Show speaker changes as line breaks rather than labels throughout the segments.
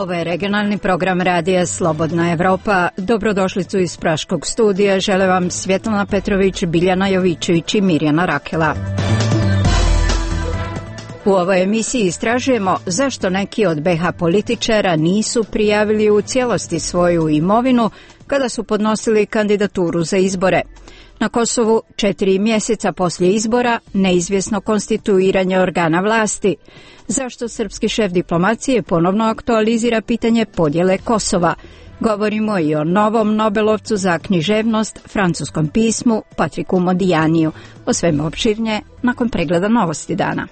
Ovo je regionalni program radija Slobodna Evropa. Dobrodošlicu iz Praškog studija. Žele vam Svjetlana Petrović, Biljana Jovičević i Mirjana Rakela. U ovoj emisiji istražujemo zašto neki od BiH političara nisu prijavili u cijelosti svoju imovinu kada su podnosili kandidaturu za izbore. Na Kosovu 4 mjeseca poslije izbora neizvjesno konstituiranje organa vlasti. Zašto srpski šef diplomacije ponovno aktualizira pitanje podjele Kosova? Govorimo i o novom Nobelovcu za književnost, francuskom pismu, Patriku Modijaniju. O svemu opširnije nakon pregleda novosti dana.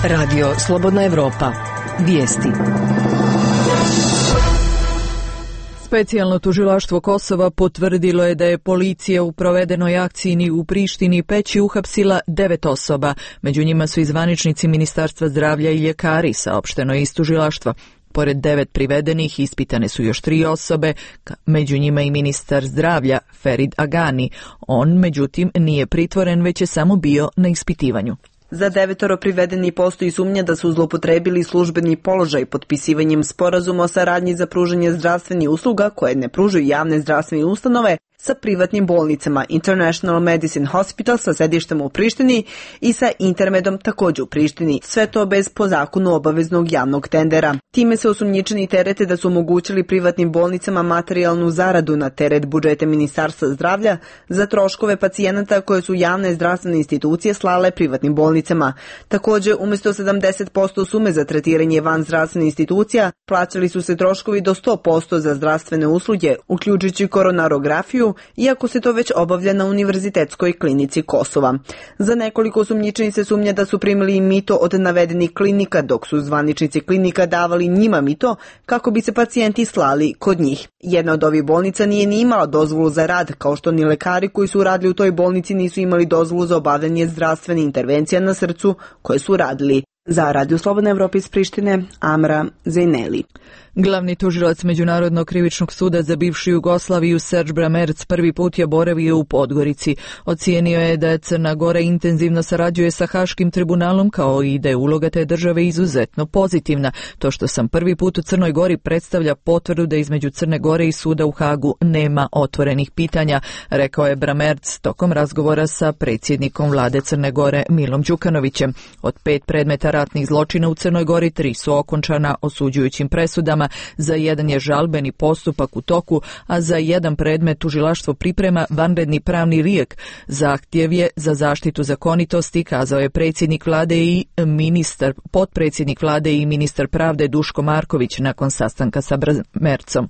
Radio Slobodna Evropa. Vijesti. Specijalno tužilaštvo Kosova potvrdilo je da je policija u provedenoj akciji u Prištini i Peći uhapsila 9 osoba. Među njima su i zvaničnici Ministarstva zdravlja i ljekari, saopšteno je iz tužilaštva. Pored 9 privedenih ispitane su još 3 osobe, među njima i ministar zdravlja Ferid Agani. On, međutim, nije pritvoren, već je samo bio na ispitivanju.
Za 9 privedeni postoji sumnja da su zloupotrebili službeni položaj potpisivanjem sporazuma o saradnji za pružanje zdravstvenih usluga koje ne pružaju javne zdravstvene ustanove sa privatnim bolnicama International Medicine Hospital sa sedištem u Prištini i sa Intermedom također u Prištini. Sve to bez po zakonu obaveznog javnog tendera. Time se osumnjičeni terete da su omogućili privatnim bolnicama materijalnu zaradu na teret budžeta Ministarstva zdravlja za troškove pacijenata koje su javne zdravstvene institucije slale privatnim bolnicama. Također, umjesto 70% sume za tretiranje van zdravstvene institucija, plaćali su se troškovi do 100% za zdravstvene usluge, uključujući koronarografiju, iako se to već obavlja na Univerzitetskoj klinici Kosova. Za nekoliko osumnjičenih se sumnja da su primili i mito od navedenih klinika, dok su zvaničnici klinika davali njima mito kako bi se pacijenti slali kod njih. Jedna od ovih bolnica nije ni imala dozvolu za rad, kao što ni lekari koji su radili u toj bolnici nisu imali dozvolu za obavljanje zdravstvene intervencije na srcu koje su radili. Za Radio Slobodna Evropa iz Prištine, Amra Zejneli.
Glavni tužilac Međunarodnog krivičnog suda za bivšu Jugoslaviju Serge Bramerc prvi put je boravio u Podgorici. Ocijenio je da Crna Gora intenzivno sarađuje sa Haškim tribunalom, kao i da je uloga te države izuzetno pozitivna. To što sam prvi put u Crnoj Gori predstavlja potvrdu da između Crne Gore i suda u Hagu nema otvorenih pitanja, rekao je Bramerc tokom razgovora sa predsjednikom vlade Crne Gore Milom Đukanovićem. Od 5 predmeta ratnih zločina u Crnoj Gori 3 su okončana osuđujućim presudama, za jedan je žalbeni postupak u toku, a za jedan predmet tužilaštvo priprema vanredni pravni lijek. Zahtjev je za zaštitu zakonitosti, kazao je predsjednik vlade i potpredsjednik vlade i ministar pravde Duško Marković nakon sastanka sa Bramercom.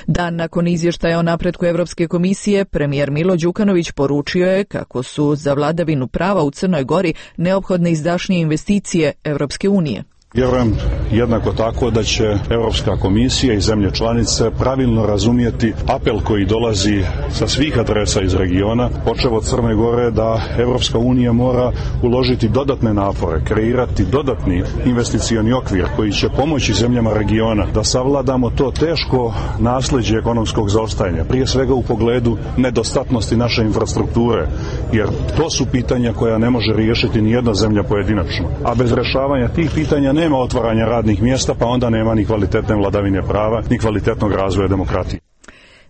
Dan nakon izvještaja o napretku Europske komisije, premijer Milo Đukanović poručio je kako su za vladavinu prava u Crnoj Gori neophodne izdašnije investicije Europske unije.
Vjerujem jednako tako da će Europska komisija i zemlje članice pravilno razumjeti apel koji dolazi sa svih adresa iz regiona, počev od Crne Gore, da Europska unija mora uložiti dodatne napore, kreirati dodatni investicioni okvir koji će pomoći zemljama regiona da savladamo to teško nasljeđe ekonomskog zaostajanja, prije svega u pogledu nedostatnosti naše infrastrukture, jer to su pitanja koja ne može riješiti ni jedna zemlja pojedinačno. A bez rješavanja tih pitanja nema otvaranja radnih mjesta, pa onda nema ni kvalitetne vladavine prava, ni kvalitetnog razvoja demokratije.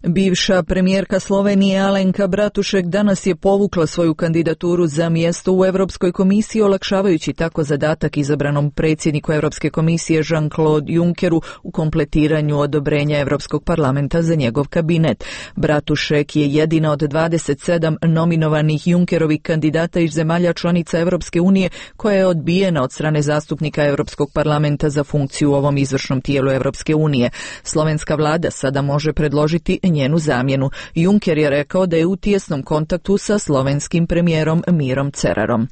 Bivša premijerka Slovenije Alenka Bratušek danas je povukla svoju kandidaturu za mjesto u Europskoj komisiji, olakšavajući tako zadatak izabranom predsjedniku Europske komisije Jean-Claude Junckeru u kompletiranju odobrenja Europskog parlamenta za njegov kabinet. Bratušek je jedina od 27 nominovanih Junckerovih kandidata iz zemalja članica Europske unije koja je odbijena od strane zastupnika Europskog parlamenta za funkciju u ovom izvršnom tijelu Europske unije. Slovenska vlada sada može predložiti njenu zamjenu. Juncker je rekao da je u tijesnom kontaktu sa slovenskim premijerom Mirom Cerarom.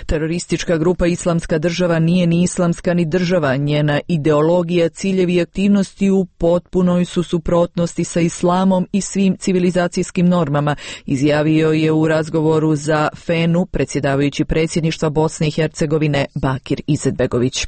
Teroristička grupa Islamska država nije ni islamska ni država. Njena ideologija, ciljevi i aktivnosti u potpunoj su suprotnosti sa islamom i svim civilizacijskim normama, izjavio je u razgovoru za FENU predsjedavajući predsjedništva Bosne i Hercegovine Bakir Izetbegović.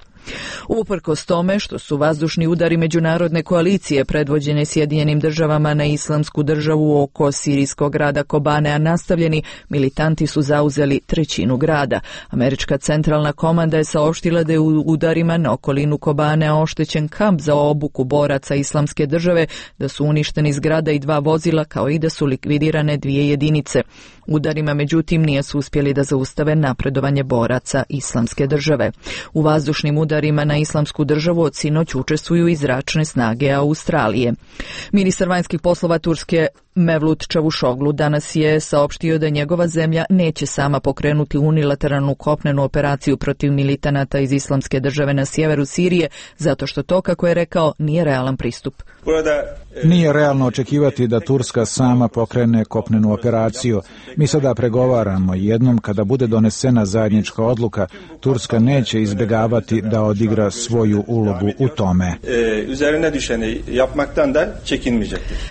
Uprkos tome što su vazdušni udari međunarodne koalicije predvođene Sjedinjenim državama na Islamsku državu oko sirijskog grada Kobanea nastavljeni, militanti su zauzeli trećinu grada. Američka centralna komanda je saopštila da je u udarima na okolinu Kobanea oštećen kamp za obuku boraca Islamske države, da su uništeni zgrada i 2 vozila, kao i da su likvidirane 2 jedinice. Udarima, međutim, nije su uspjeli da zaustave napredovanje boraca Islamske države. U vazdušnim udarima na Islamsku državu od sinoć učestvuju i zračne snage Australije. Ministar vanjskih poslova Turske Mevlut Čavuşoglu danas je saopštio da njegova zemlja neće sama pokrenuti unilateralnu kopnenu operaciju protiv militanata iz Islamske države na sjeveru Sirije, zato što to, kako je rekao, nije realan pristup.
Nije realno očekivati da Turska sama pokrene kopnenu operaciju. Mi sada pregovaramo i jednom kada bude donesena zajednička odluka, Turska neće izbjegavati da odigra svoju ulogu u tome.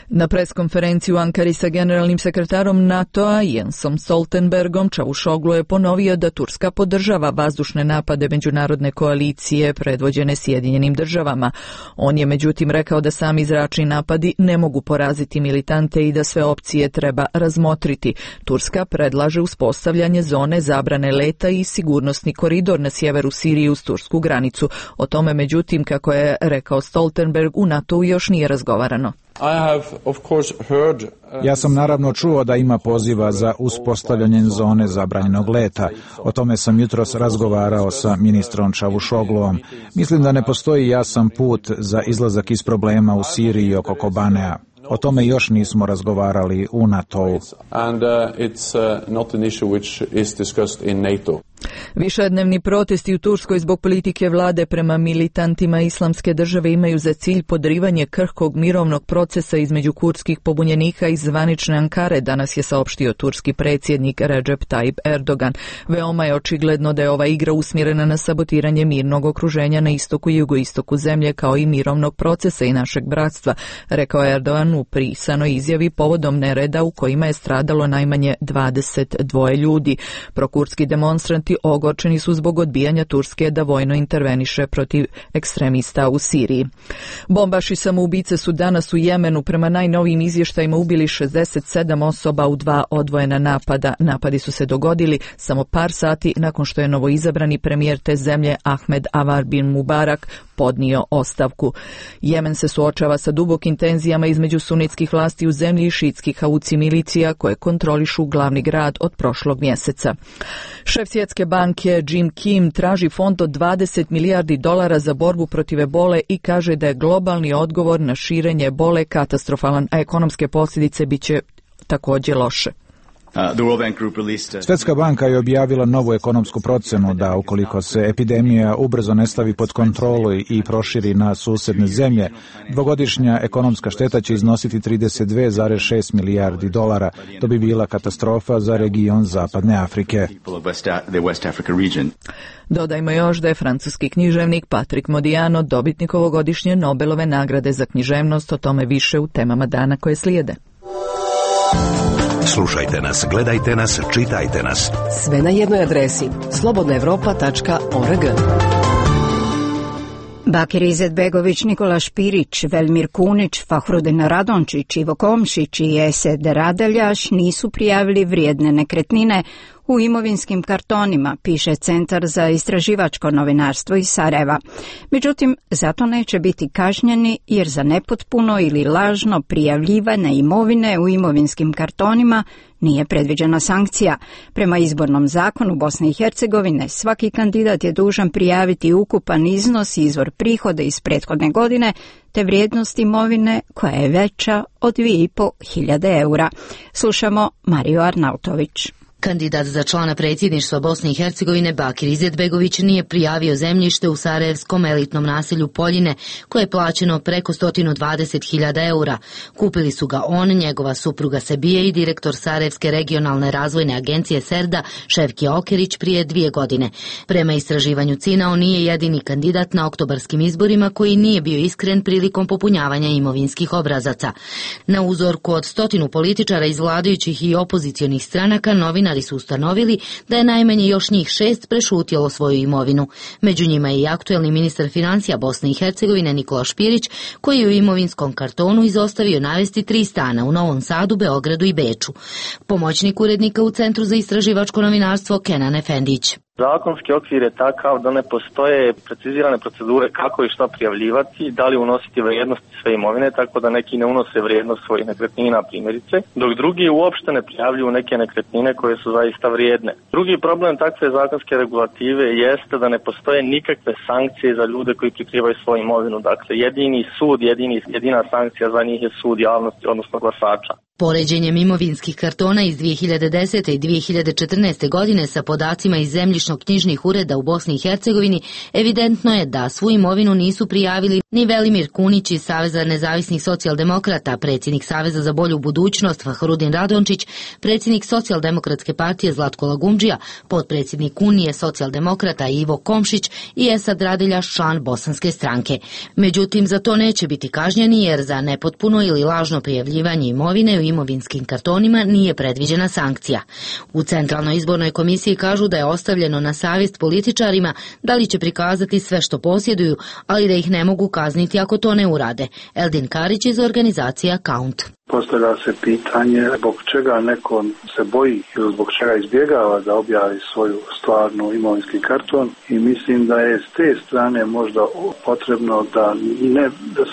Na preskonferenciji u Ankari sa generalnim sekretarom NATO-a Jensom Stoltenbergom Čavuşoglu je ponovio da Turska podržava vazdušne napade međunarodne koalicije predvođene Sjedinjenim državama. On je međutim rekao da sami zračni napadi ne mogu poraziti militante i da sve opcije treba razmotriti. Turska predlaže uspostavljanje zone zabrane leta i sigurnosni koridor na sjeveru Sirije uz tursku granicu. O tome, međutim, kako je rekao Stoltenberg, u NATO-u još nije razgovarano.
Ja sam naravno čuo da ima poziva za uspostavljanje zone zabranjenog leta. O tome sam jutros razgovarao sa ministrom Čavuşogluom. Mislim da ne postoji jasan put za izlazak iz problema u Siriji oko Kobanea. O tome još nismo razgovarali u NATO-u.
Višednevni protesti u Turskoj zbog politike vlade prema militantima Islamske države imaju za cilj podrivanje krhkog mirovnog procesa između kurdskih pobunjenika iz zvanične Ankare, danas je saopštio turski predsjednik Recep Tayyip Erdogan. Veoma je očigledno da je ova igra usmjerena na sabotiranje mirnog okruženja na istoku i jugoistoku zemlje, kao i mirovnog procesa i našeg bratstva, rekao Erdogan u pisanoj izjavi povodom nereda u kojima je stradalo najmanje 22 ljudi. Prokurdski demonstranti ogorčeni su zbog odbijanja Turske da vojno interveniše protiv ekstremista u Siriji. Bombaši samoubice su danas u Jemenu prema najnovijim izvještajima ubili 67 osoba u 2 odvojena napada. Napadi su se dogodili samo par sati nakon što je novoizabrani premijer te zemlje Ahmed Avar bin Mubarak podnio ostavku. Jemen se suočava sa dubokim tenzijama između sunitskih vlasti u zemlji i šiitskih Hauci milicija koje kontrolišu glavni grad od prošlog mjeseca. Šef Svjetske banke Jim Kim traži fond od $20 milijardi za borbu protiv ebole i kaže da je globalni odgovor na širenje ebole katastrofalan, a ekonomske posljedice biće također loše.
Svjetska banka je objavila novu ekonomsku procjenu da ukoliko se epidemija ubrzo ne stavi pod kontrolu i proširi na susjedne zemlje, dvogodišnja ekonomska šteta će iznositi $32,6 milijardi. To bi bila katastrofa za region Zapadne Afrike.
Dodajmo još da je francuski književnik Patrick Modiano dobitnik ovogodišnje Nobelove nagrade za književnost, o tome više u temama dana koje slijede.
Slušajte nas, gledajte nas, čitajte nas.
Sve na jednoj adresi slobodnaevropa.org.
Bakir Izetbegović, Nikola Špirić, Velmir Kunić, Fahrudin Radončić, Ivo Komšić i Esed Radeljaš nisu prijavili vrijedne nekretnine u imovinskim kartonima, piše Centar za istraživačko novinarstvo iz Sarajeva. Međutim, zato neće biti kažnjeni jer za nepotpuno ili lažno prijavljivanje imovine u imovinskim kartonima nije predviđena sankcija. Prema izbornom zakonu Bosne i Hercegovine svaki kandidat je dužan prijaviti ukupan iznos i izvor prihoda iz prethodne godine te vrijednost imovine koja je veća od 2.500 eura. Slušamo Mariju Arnautović.
Kandidat za člana predsjedništva Bosne i Hercegovine Bakir Izetbegović nije prijavio zemljište u sarajevskom elitnom naselju Poljine koje je plaćeno preko 120.000 eura. Kupili su ga on, njegova supruga Sebije i direktor Sarajevske regionalne razvojne agencije Serda Ševki Okerić prije 2 godine. Prema istraživanju CINA on nije jedini kandidat na oktobarskim izborima koji nije bio iskren prilikom popunjavanja imovinskih obrazaca. Na uzorku od 100 političara iz vladajućih i opozicionih stranaka novinar novinari su ustanovili da je najmanje još njih 6 prešutjelo svoju imovinu. Među njima je i aktuelni ministar financija Bosne i Hercegovine Nikola Špirić, koji je u imovinskom kartonu izostavio navesti 3 stana u Novom Sadu, Beogradu i Beču. Pomoćnik urednika u Centru za istraživačko novinarstvo Kenan Efendić.
Zakonski okvir je takav da ne postoje precizirane procedure kako i šta prijavljivati, da li unositi vrijednost sve imovine, tako da neki ne unose vrijednost svojih nekretnina primjerice, dok drugi uopšte ne prijavljuju neke nekretnine koje su zaista vrijedne. Drugi problem takve zakonske regulative jeste da ne postoje nikakve sankcije za ljude koji prikrivaju svoju imovinu. Dakle, jedini sud, jedina sankcija za njih je sud javnosti, odnosno glasača.
Poređenjem imovinskih kartona iz 2010. i 2014. godine sa podacima iz zemljišno-knjižnih ureda u Bosni i Hercegovini, evidentno je da svu imovinu nisu prijavili ni Velimir Kunić iz Saveza nezavisnih socijaldemokrata, predsjednik Saveza za bolju budućnost Fahrudin Radončić, predsjednik Socijaldemokratske partije Zlatko Lagumdžija, potpredsjednik Unije socijaldemokrata Ivo Komšić i Esad Radeljaš, član Bosanske stranke. Međutim, za to neće biti kažnjeni jer za nepotpuno ili lažno prijavljivanje imovine u imovinskim kartonima nije predviđena sankcija. U Centralnoj izbornoj komisiji kažu da je ostavljeno na savjest političarima da li će prikazati sve što posjeduju, ali da ih ne mogu kazniti ako to ne urade. Eldin Karić iz organizacije Count.
Postavlja se pitanje zbog čega neko se boji ili zbog čega izbjegava da objavi svoju stvarnu imovinski karton i mislim da je s te strane možda potrebno da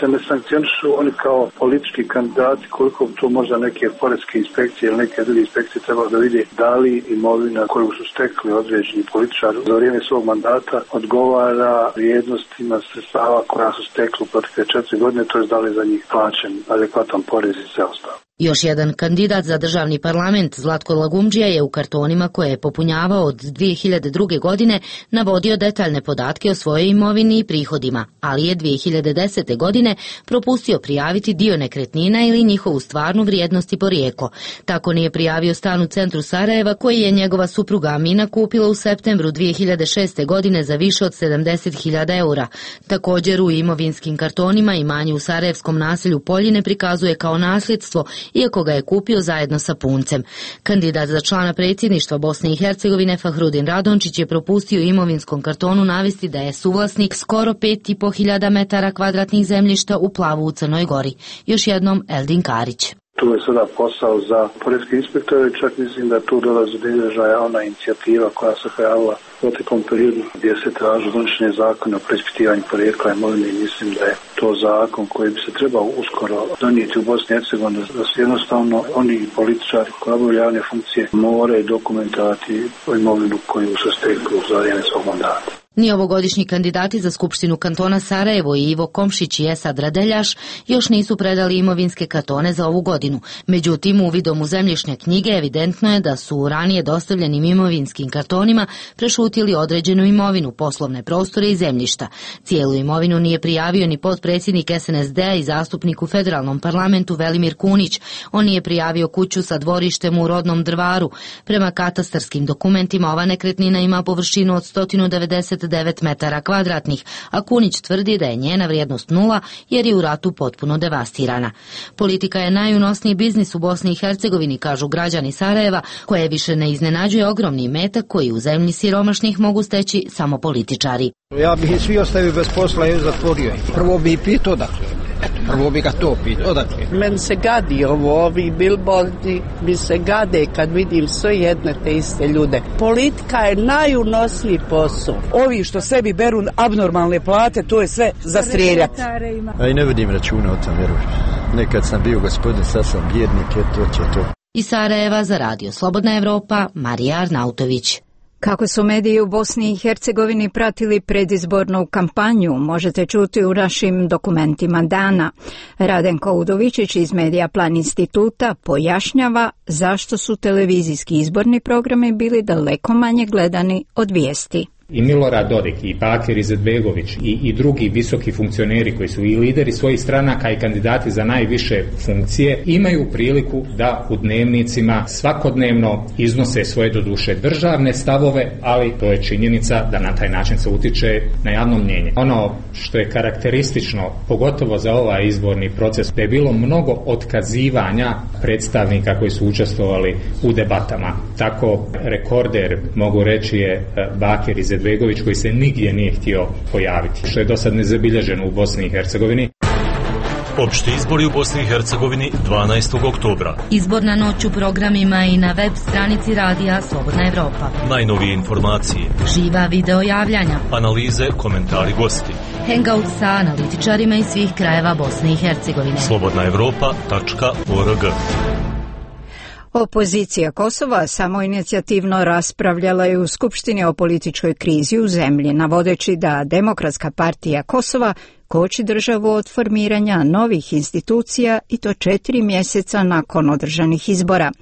se ne sankcionišu oni kao politički kandidati, koliko to možda neke poreske inspekcije ili neke druge inspekcije treba da vidi da li imovina koju su stekli određeni političari za vrijeme svog mandata odgovara vrijednostima sredstava koja su stekli u protekle 4 godine, to je da li za njih plaćen adekvatan porez i sve ostalo.
Još jedan kandidat za državni parlament, Zlatko Lagumdžija, je u kartonima koje je popunjavao od 2002. godine navodio detaljne podatke o svojoj imovini i prihodima, ali je 2010. godine propustio prijaviti dio nekretnina ili njihovu stvarnu vrijednost i porijeklo. Tako nije prijavio stan u centru Sarajeva koji je njegova supruga Amina kupila u septembru 2006. godine za više od 70.000 eura. Također u imovinskim kartonima imanje u sarajevskom naselju Poljine prikazuje kao nasljedstvo, iako ga je kupio zajedno sa puncem. Kandidat za člana predsjedništva Bosne i Hercegovine Fahrudin Radončić je propustio u imovinskom kartonu navesti da je suvlasnik skoro 5.500 metara kvadratnih zemljišta u Plavu u Crnoj Gori. Još jednom Eldin Karić.
Tu je sada posao za poreske inspektore, čak mislim da tu dolazi do izražaja ona inicijativa koja se pojavila u proteklom periodu gdje se traži donošenje zakona o preispitivanju porijekla imovine i mislim da je to zakon koji bi se trebao uskoro donijeti u Bosni i Hercegovini, da se jednostavno oni političari koji obavljaju javne funkcije moraju dokumentovati imovinu koju su stekli za vrijeme svog mandata.
Ni ovogodišnji kandidati za Skupštinu kantona Sarajevo i Ivo Komšić i Esad Radeljaš još nisu predali imovinske kartone za ovu godinu. Međutim, uvidom u zemljišne knjige evidentno je da su u ranije dostavljenim imovinskim kartonima prešutili određenu imovinu, poslovne prostore i zemljišta. Cijelu imovinu nije prijavio ni potpredsjednik SNSD-a i zastupnik u federalnom parlamentu Velimir Kunić. On nije prijavio kuću sa dvorištem u Rodnom Drvaru. Prema katastarskim dokumentima ova nekretnina ima površinu od 199 metara kvadratnih, a Kunić tvrdi da je njena vrijednost 0 jer je u ratu potpuno devastirana. Politika je najunosniji biznis u Bosni i Hercegovini, kažu građani Sarajeva, koje više ne iznenađuje ogromni imetak koji u zemlji siromašnih mogu steći samo političari.
Ja bih svi ostavio bez posla i zatvorio. Prvo bih pitao odakle. Prvo bi ga to pitao odakle.
Men se gadi ovi billboardi, mi se gade kad vidim sve jedne te iste ljude. Politika je najunosniji posao.
Ovi što sebi beru abnormalne plate, to je sve za strijeljati.
A i ne vidim računa o tom, vjerujem. Nekad sam bio gospodin, sad sam bjednik, to će to.
Iz Sarajeva za radio Slobodna Evropa, Marija Arnautović.
Kako su mediji u Bosni i Hercegovini pratili predizbornu kampanju, možete čuti u našim dokumentima dana. Radenko Udovičić iz Medija Plan instituta pojašnjava zašto su televizijski izborni programi bili daleko manje gledani od vijesti.
I Milorad Dodik, i Bakir Izetbegović, i drugi visoki funkcioneri koji su i lideri svojih stranaka i kandidati za najviše funkcije imaju priliku da u dnevnicima svakodnevno iznose svoje doduše državne stavove, ali to je činjenica da na taj način se utiče na javno mnjenje. Ono što je karakteristično, pogotovo za ovaj izborni proces, da je bilo mnogo otkazivanja predstavnika koji su učestvovali u debatama. Tako rekorder, mogu reći, je Bakir Izetbegović koji se nigdje nije htio pojaviti, što je do sad nezabilježeno u Bosni i Hercegovini.
Opšti izbori u Bosni i Hercegovini 12. oktobra.
Izborna noć u programima i na web stranici radija Slobodna Evropa.
Najnovije informacije.
Živa video javljanja.
Analize, komentari, gosti.
Hangout sa analitičarima iz svih krajeva Bosne i Hercegovine.
slobodnaevropa.org.
Opozicija Kosova samoinicijativno raspravljala je u Skupštini o političkoj krizi u zemlji, navodeći da Demokratska partija Kosova koči državu od formiranja novih institucija i to 4 mjeseca nakon održanih izbora.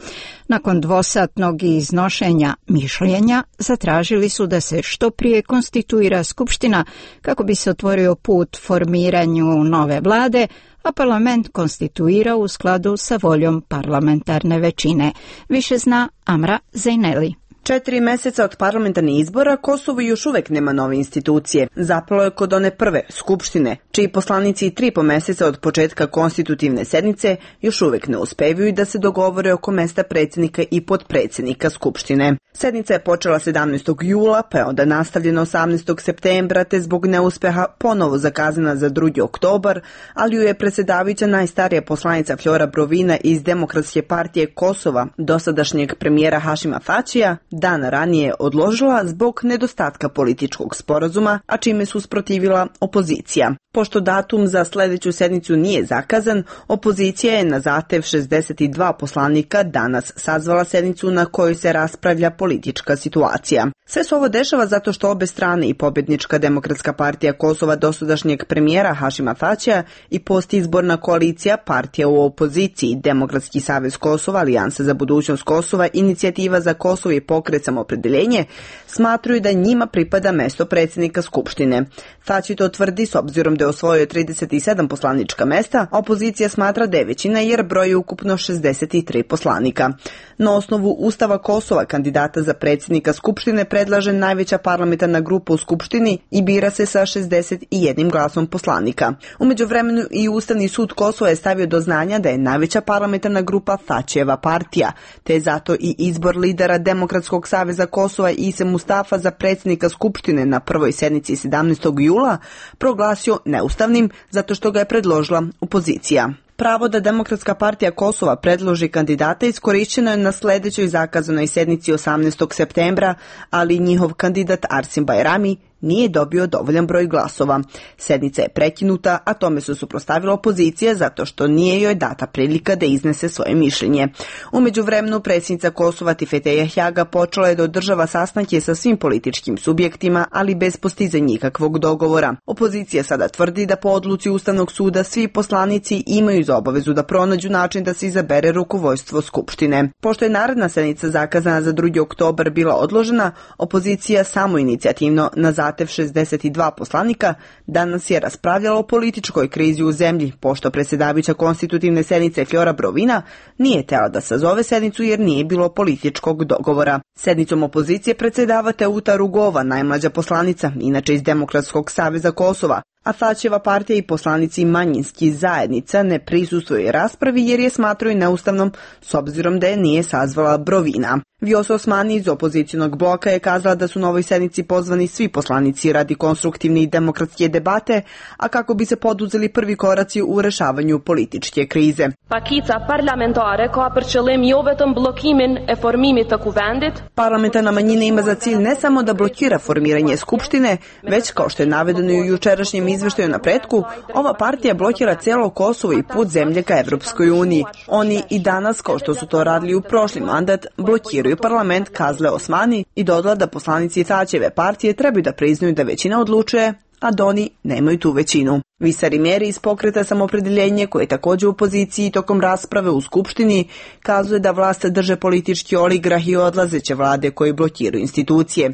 Nakon dvosatnog iznošenja mišljenja zatražili su da se što prije konstituira Skupština kako bi se otvorio put formiranju nove vlade, a parlament konstituira u skladu sa voljom parlamentarne većine. Više zna Amra Zejneli.
4 mjeseca od parlamentarnih izbora Kosovo još uvijek nema nove institucije. Zapalo je kod one prve, Skupštine, čiji poslanici 3,5 mjeseca od početka konstitutivne sednice još uvijek ne uspevaju da se dogovore oko mjesta predsjednika i potpredsjednika Skupštine. Sednica je počela 17. jula, pa je onda nastavljena 18. septembra, te zbog neuspeha ponovo zakazana za 2. oktobar, ali ju je predsjedavajuća najstarija poslanica Flora Brovina iz Demokratske partije Kosova, dosadašnjeg premijera Hašima Tačija, dan ranije odložila zbog nedostatka političkog sporazuma, a čime su usprotivila opozicija. Pošto datum za sljedeću sednicu nije zakazan, opozicija je na zahtev 62 poslanika danas sazvala sednicu na kojoj se raspravlja politička situacija. Sve se ovo dešava zato što obe strane, i pobjednička Demokratska partija Kosova dosadašnjeg premijera Hašima Tačija i postizborna koalicija partija u opoziciji Demokratski savez Kosova, Alijansa za budućnost Kosova, Inicijativa za Kosovo i Pokret Samoopredeljenje, smatruju da njima pripada mesto predsjednika Skupštine. Tači to tvrdi s obzirom da je osvojio 37 poslanička mesta, a opozicija smatra da je većina jer broji ukupno 63 poslanika. Na osnovu Ustava Kosova kandidata za predsjednika Skupštine predlaže najveća parlamentarna grupa u Skupštini i bira se sa 61 glasom poslanika. U međuvremenu i Ustavni sud Kosova je stavio do znanja da je najveća parlamentarna grupa Tačijeva partija, te je zato i izbor lidera Demokratskog saveza Kosova Ise Mustafa za predsjednika Skupštine na prvoj sednici 17. jula proglasio neustavnim zato što ga je predložila opozicija. Pravo da Demokratska partija Kosova predloži kandidata iskorišćeno je na sljedećoj zakazanoj sednici 18. septembra, ali njihov kandidat Arsim Bajrami nije dobio dovoljan broj glasova. Sednica je prekinuta, a tome su suprotstavila opozicija zato što nije joj data prilika da iznese svoje mišljenje. U međuvremenu predsjednica Kosova Tifete Jahjaga počela je da održava sastanke sa svim političkim subjektima, ali bez postizanja nikakvog dogovora. Opozicija sada tvrdi da po odluci Ustavnog suda svi poslanici imaju za obavezu da pronađu način da se izabere rukovodstvo Skupštine. Pošto je naredna sednica zakazana za 2. oktobar bila odložena, opozicija samoinicijativno na zahtev 62 poslanika danas je raspravljala o političkoj krizi u zemlji, pošto predsjedavajuća konstitutivne sednice Flora Brovina nije htjela da sazove sednicu jer nije bilo političkog dogovora. Sednicom opozicije predsjedava Teuta Rugova, najmlađa poslanica, inače iz Demokratskog saveza Kosova, a Tačijeva partija i poslanici manjinskih zajednica ne prisustvuju raspravi jer je smatraju neustavnom s obzirom da je nije sazvala Brovina. Vjoso Osmani iz opozicionog bloka je kazala da su na ovoj sednici pozvani svi poslanici radi konstruktivne i demokratske debate, a kako bi se poduzeli prvi koraci u rešavanju političke krize.
Pakica parlamentare ka për qëllim jo vetëm bllokimin e formimit të kuvendit.
Parlamentarna manjina ima za cilj ne samo da blokira formiranje skupštine, već kao što je navedeno u jučerašnjem izveštaju na pretku, ova partija blokira cijelo Kosovo i put zemlje ka Evropskoj uniji. Oni i danas, kao što su to radili u prošli mandat, blokiraju parlament, kazle Osmani i dodala da poslanici Tačijeve partije trebaju da priznaju da većina odlučuje, a da oni nemaju tu većinu. Visar Imeri iz pokreta Samoopredjeljenje, koji je također u opoziciji tokom rasprave u Skupštini, kazuje da vlast drže politički oligrah i odlazeće vlade koji blokiraju institucije.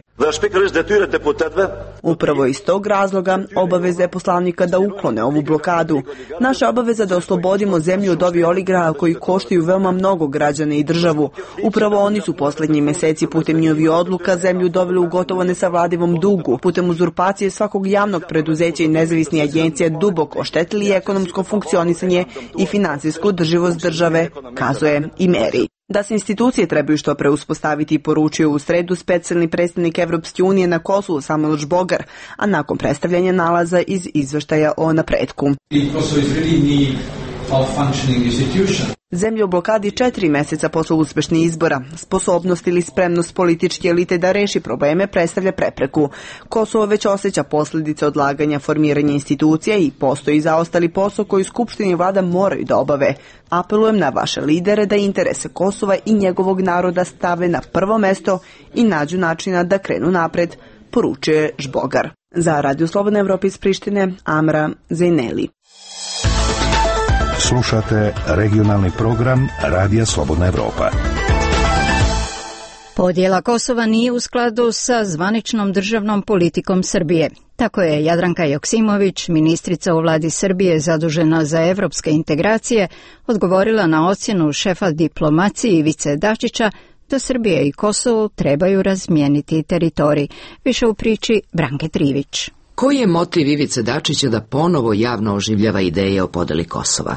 Upravo iz tog razloga obaveza je poslanika da uklone ovu blokadu. Naša obaveza da oslobodimo zemlju od ovih oligraha koji koštaju veoma mnogo građana i državu. Upravo oni su posljednjih mjeseci putem njihovih odluka zemlju doveli u gotovo nesavladivom dugu, putem uzurpacije svakog javnog preduzeća i nezavisnih agencija duboko oštetili ekonomsko funkcionisanje i financijsku održivost države, kazuje Imeri. Da se institucije trebaju što pre uspostaviti, poručio u sredu specijalni predstavnik Evropske unije na Kosovu Samuel Žbogar, a nakon predstavljanja nalaza iz izveštaja o napretku. Zemlja u blokadi 4 mjeseca posle uspešnih izbora. Sposobnost ili spremnost političke elite da reši probleme predstavlja prepreku. Kosovo već osjeća posljedice odlaganja formiranja institucija i postoji zaostali posao koji Skupština i vlada moraju da obave. Apelujem na vaše lidere da interese Kosova i njegovog naroda stave na prvo mesto i nađu načina da krenu napred, poručuje Žbogar. Za Radio Slobodna Evropa iz Prištine, Amra Zejneli.
Slušate regionalni program Radija Slobodna Evropa.
Podjela Kosova nije u skladu sa zvaničnom državnom politikom Srbije. Tako je Jadranka Joksimović, ministrica u vladi Srbije zadužena za evropske integracije, odgovorila na ocjenu šefa diplomacije Ivice Dačića da Srbija i Kosovo trebaju razmijeniti teritorij. Više u priči Branke Trivić.
Koji je motiv Ivice Dačića da ponovo javno oživljava ideje o podeli Kosova?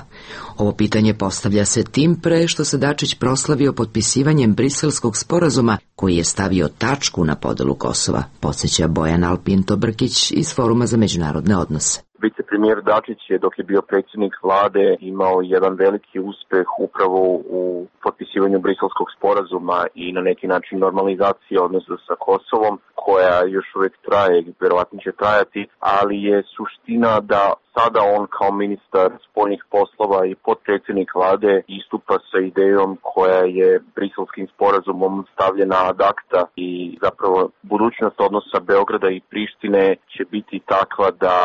Ovo pitanje postavlja se tim pre što se Dačić proslavio potpisivanjem Briselskog sporazuma koji je stavio tačku na podelu Kosova, podsjeća Bojan Alpinto Brkić iz Foruma za međunarodne odnose.
Vicepremijer Dačić je, dok je bio predsjednik vlade, imao jedan veliki uspeh upravo u potpisivanju Briselskog sporazuma i na neki način normalizacije odnosa sa Kosovom, koja još uvijek traje i vjerovatno će trajati, ali je suština da sada on kao ministar spoljnih poslova i potpredsjednik vlade istupa sa idejom koja je Briselskim sporazumom stavljena ad acta i zapravo budućnost odnosa Beograda i Prištine će biti takva da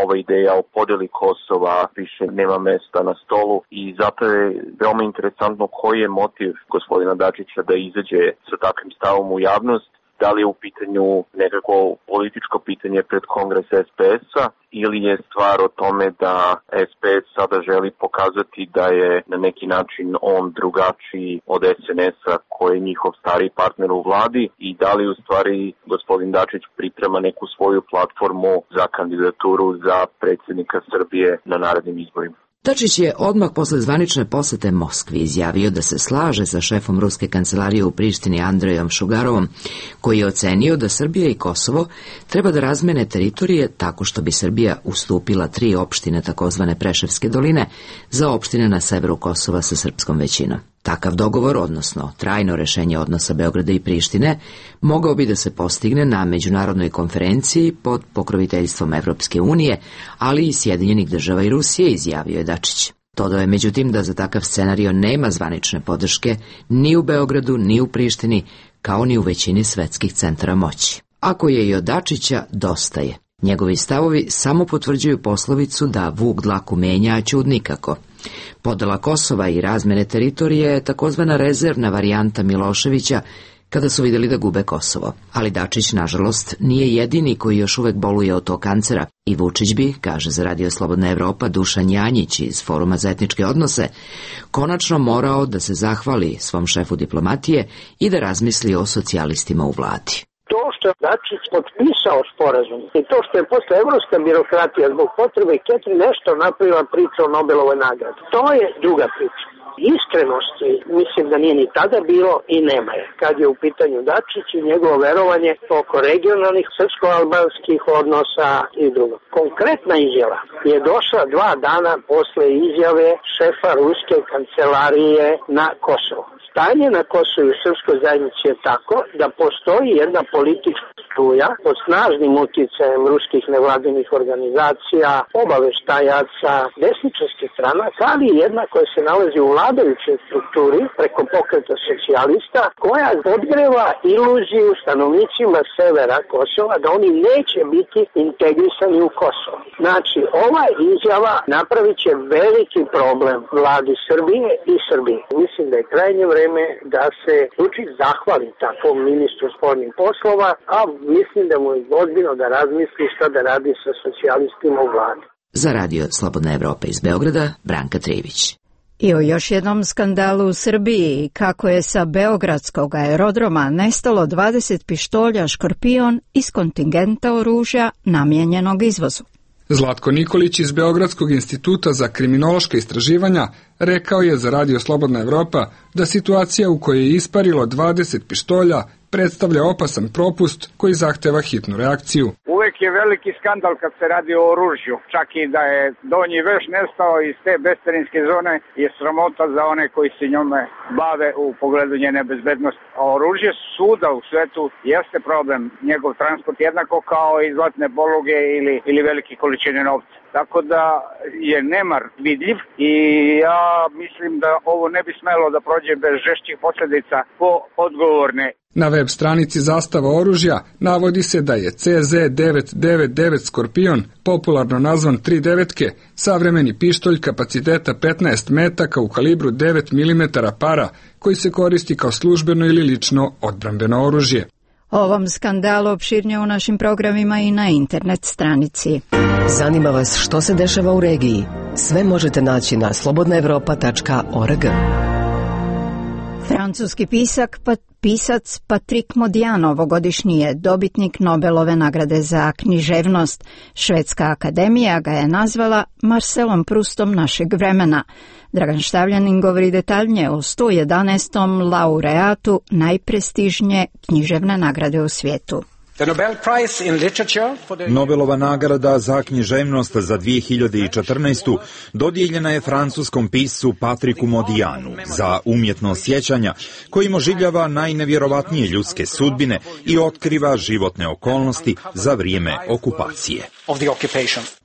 ova ideja o podeli Kosova više nema mesta na stolu i zato je veoma interesantno koji je motiv gospodina Dačića da izađe sa takvim stavom u javnost. Da li je u pitanju nekako političko pitanje pred kongres SPS-a ili je stvar o tome da SPS sada želi pokazati da je na neki način on drugačiji od SNS-a koji je njihov stariji partner u vladi i da li u stvari gospodin Dačić priprema neku svoju platformu za kandidaturu za predsjednika Srbije na narednim izborima.
Dačić je odmah posle zvanične posete Moskvi izjavio da se slaže sa šefom ruske kancelarije u Prištini Andrejom Šugarovom, koji je ocenio da Srbija i Kosovo treba da razmene teritorije tako što bi Srbija ustupila 3 opštine takozvane Preševske doline za opštine na severu Kosova sa srpskom većinom. Takav dogovor, odnosno trajno rešenje odnosa Beograda i Prištine, mogao bi da se postigne na međunarodnoj konferenciji pod pokroviteljstvom Evropske unije, ali i Sjedinjenih država i Rusije, izjavio je Dačić. Dodao je međutim da za takav scenario nema zvanične podrške ni u Beogradu, ni u Prištini, kao ni u većini svetskih centara moći. Ako je i od Dačića, dosta je. Njegovi stavovi samo potvrđuju poslovicu da vuk dlaku menja, a ćud nikako. Podela Kosova i razmene teritorije je takozvana rezervna varijanta Miloševića kada su vidjeli da gube Kosovo. Ali Dačić, nažalost, nije jedini koji još uvek boluje od tog kancera i Vučić bi, kaže za Radio Slobodna Evropa Dušan Janjić iz Foruma za etničke odnose, konačno morao da se zahvali svom šefu diplomatije i da razmisli o socijalistima u vladi.
To što je Dačić potpisao sporazum i to što je posle evropska birokratija zbog potrebe Ketri nešto napravila priča o Nobelovoj nagradi, to je druga priča. Iskrenosti mislim da nije ni tada bilo i nema je, kad je u pitanju Dačić i njegovo verovanje oko regionalnih srpsko-albanskih odnosa i drugo. Konkretna izjava je došla 2 dana posle izjave šefa ruske kancelarije na Kosovo. Stanje na Kosovu i srpskoj zajednici je tako da postoji jedna politička struja pod snažnim utjecajem ruskih nevladinih organizacija, obaveštajaca, desničarskih stranaka, ali i jedna koja se nalazi u vladajućoj strukturi preko pokreta socijalista, koja podgreva iluziju stanovnicima severa Kosova da oni neće biti integrisani u Kosovo. Znači, ova izjava napravit će veliki problem vladi Srbije i Srbije. Mislim da je krajnje vreme da se Vučić zahvali takvom ministru spoljnih poslova, a mislim da mu je ozbiljno da razmisli šta da radi sa socijalistima u vladi.
Za radio Slobodna Evropa iz Beograda, Branka Trević.
I o još jednom skandalu u Srbiji, kako je sa beogradskog aerodroma nestalo 20 pištolja Škorpion iz kontingenta oružja namijenjenog izvozu.
Zlatko Nikolić iz Beogradskog instituta za kriminološka istraživanja rekao je za radio Slobodna Evropa da situacija u kojoj je isparilo 20 pištolja predstavlja opasan propust koji zahteva hitnu reakciju.
Uvek je veliki skandal kad se radi o oružju. Čak i da je donji veš nestao iz te bescarinske zone je sramota za one koji se njome bave u pogledu njene bezbednosti. A oružje svuda u svetu jeste problem. Njegov transport jednako kao i zlatne poluge ili velike količine novca. Tako da je nemar vidljiv i ja mislim da ovo ne bi smelo da prođe bez žešćih posljedica po odgovorne.
Na web stranici Zastava oružja navodi se da je CZ999 Skorpion, popularno nazvan 3 savremeni pištolj kapaciteta 15 metaka u kalibru 9 mm para, koji se koristi kao službeno ili lično odbrambeno oružje.
O ovom skandalu opširnije u našim programima i na internet stranici.
Zanima vas što se dešava u regiji? Sve možete naći na slobodnaevropa.org.
Francuski pisac Patrick Modiano ovogodišnji je dobitnik Nobelove nagrade za književnost. Švedska akademija ga je nazvala Marcelom Proustom našeg vremena. Dragan Štavljanin govori detaljnije o 111. laureatu najprestižnije književne nagrade u svijetu.
Nobelova nagrada za književnost za 2014. dodijeljena je francuskom piscu Patricku Modianu za umjetno sjećanja, kojim oživljava najnevjerovatnije ljudske sudbine i otkriva životne okolnosti za vrijeme okupacije.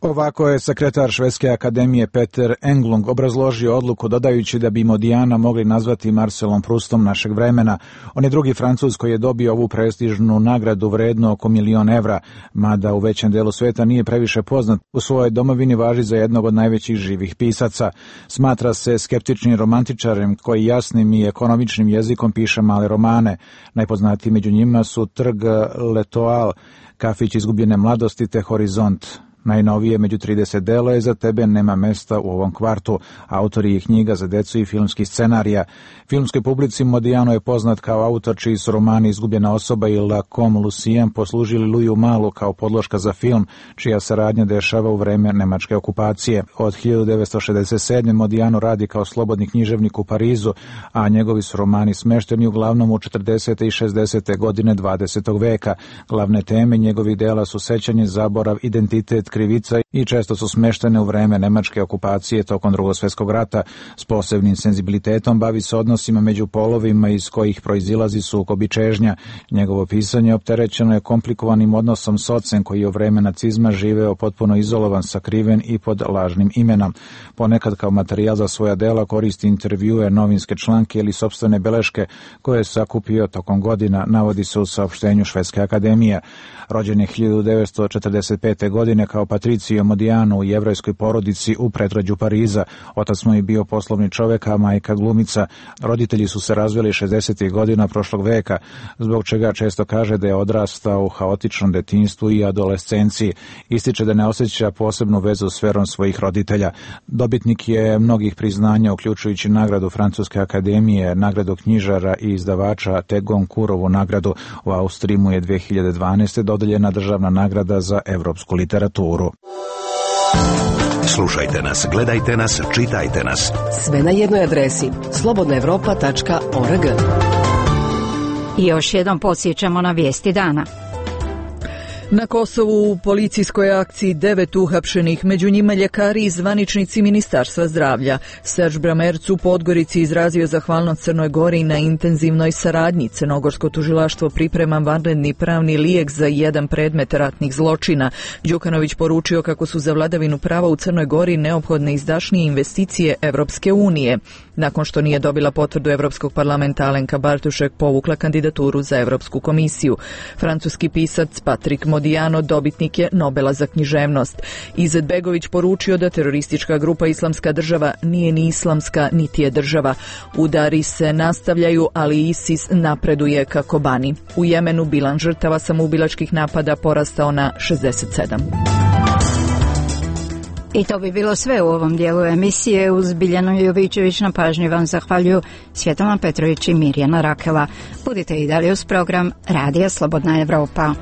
Ovako je sekretar Švedske akademije Peter Englund obrazložio odluku dodajući da bi Modiana mogli nazvati Marcelom Proustom našeg vremena. On je drugi Francuz koji je dobio ovu prestižnu nagradu vrednu oko €1.000.000, mada u većem delu svijeta nije previše poznat. U svojoj domovini važi za jednog od najvećih živih pisaca. Smatra se skeptičnim romantičarem koji jasnim i ekonomičnim jezikom piše male romane. Najpoznatiji među njima su Trg L'Etoile, Kafić izgubljene mladosti te Horizont. Najnovije među 30 dela je Za tebe nema mesta u ovom kvartu, autori je knjiga za decu i filmskih scenarija. Filmskoj publici Modiano je poznat kao autor čiji su romani Izgubljena osoba i La Comme Lucien poslužili Louisu Malu kao podloška za film, čija se radnja dešava u vreme nemačke okupacije. Od 1967. Modiano radi kao slobodni književnik u Parizu, a njegovi su romani smešteni uglavnom u 40. i 60. godine 20. veka. Glavne teme njegovih dela su sećanje, zaborav, identitet, krivica i često su smeštene u vreme nemačke okupacije tokom Drugog svjetskog rata. S posebnim senzibilitetom bavi se odnosima među polovima iz kojih proizilazi sukob i čežnja. Njegovo pisanje opterećeno je komplikovanim odnosom s ocem koji je u vreme nacizma živeo potpuno izolovan, sakriven i pod lažnim imenom. Ponekad kao materijal za svoja dela koristi intervjue, novinske članke ili sopstvene beleške koje je sakupio tokom godina, navodi se u saopštenju Švedske akademije. Rođen je 1945. godine kao Patricio Modiano u jevrejskoj porodici u predgrađu Pariza. Otac mu je bio poslovni čovjek, a majka glumica. Roditelji su se razveli 60. godina prošlog veka, zbog čega često kaže da je odrastao u haotičnom detinjstvu i adolescenciji. Ističe da ne osjeća posebnu vezu s verom svojih roditelja. Dobitnik je mnogih priznanja, uključujući nagradu Francuske akademije, nagradu knjižara i izdavača te Goncourtovu nagradu. U Austriji mu je 2012. dodeljena državna nagrada za evropsku literaturu.
Slušajte nas, gledajte nas, čitajte nas.
Sve na jednoj adresi slobodnaevropa.org.
I još jednom podsjećamo na vijesti dana.
Na Kosovu u policijskoj akciji 9 uhapšenih, među njima ljekari i zvaničnici Ministarstva zdravlja. Serž Bramerc u Podgorici izrazio zahvalnost Crnoj Gori na intenzivnoj saradnji. Crnogorsko tužilaštvo priprema vanredni pravni lijek za jedan predmet ratnih zločina. Đukanović poručio kako su za vladavinu prava u Crnoj Gori neophodne izdašnije investicije Evropske unije. Nakon što nije dobila potvrdu Evropskog parlamenta, Alenka Bartušek povukla kandidaturu za Evropsku komisiju. Francuski pisac Patrik Modiano dobitnik je Nobela za književnost. Izetbegović poručio da teroristička grupa Islamska država nije ni islamska, niti je država. Udari se nastavljaju, ali ISIS napreduje ka Kobani. U Jemenu bilan žrtava samoubilačkih napada porastao na 67.
I to bi bilo sve u ovom dijelu emisije. Uz Biljanu Jovićević na pažnji vam zahvaljuju Svjetlana Petrović i Mirjana Rakela. Budite i dalje uz program Radija Slobodna Evropa.